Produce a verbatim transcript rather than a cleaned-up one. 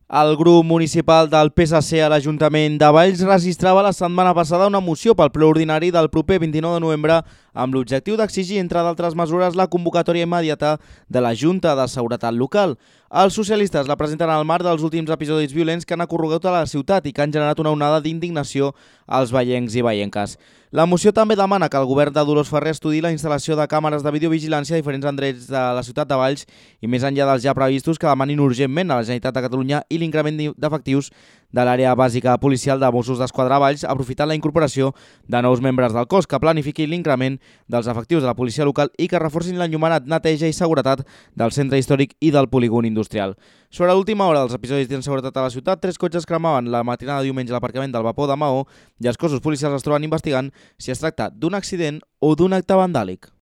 El grup municipal del P S C a l'Ajuntament de Valls registrava la setmana passada una moció pel ple ordinari del proper vint-i-nou de novembre amb l'objectiu d'exigir, entre d'altres mesures, la convocatòria immediata de la Junta de Seguretat Local. Els socialistes la presenten al marc dels últims episodis violents que han ocorregut a la ciutat i que han generat una onada d'indignació als veiencs i veienques. La moció també demana que el govern de Dolors Ferrer estudiï la instal·lació de càmeres de videovigilància a diferents endrecs de la ciutat de Valls i més enllà dels ja previstos que demanin urgentment a la Generalitat de Catalunya i l'increment d'efectius de l'àrea bàsica policial de Mossos d'Esquadra a Valls, aprofitant la incorporació de nous membres del cos, que planifiqui l'increment dels efectius de la policia local i que reforcin l'enllumenat, neteja i seguretat del centre històric i del polígon industrial. Sobre l'última hora dels episodis d'inseguretat a la ciutat, tres cotxes cremaven la matinada de diumenge a l'aparcament del Vapor de Maó i els cossos policials es troben investigant si es tracta d'un accident o d'un acte vandàlic.